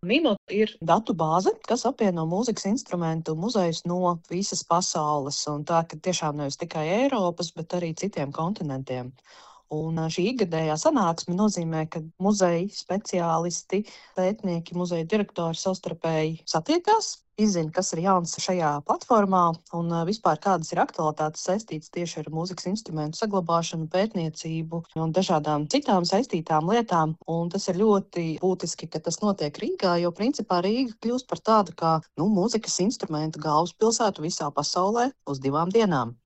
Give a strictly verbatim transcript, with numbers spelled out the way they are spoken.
Mimo ir datu bāze, kas apvieno mūzikas instrumentu muzejus no visas pasaules, un tā, ka tiešām nevis tikai Eiropas, bet arī citiem kontinentiem. Un ā, šī ikgadējā sanāksme nozīmē, ka muzeji speciālisti, pētnieki, muzeja direktori savstarpēji satiekās, izzina, kas ir jauns šajā platformā un ā, vispār kādas ir aktualitātes saistītas tieši ar mūzikas instrumentu saglabāšanu, pētniecību un dažādām citām saistītām lietām. Un tas ir ļoti būtiski, ka tas notiek Rīgā, jo principā Rīga kļūst par tādu kā nu, mūzikas instrumentu galvaspilsētu visā pasaulē uz divām dienām.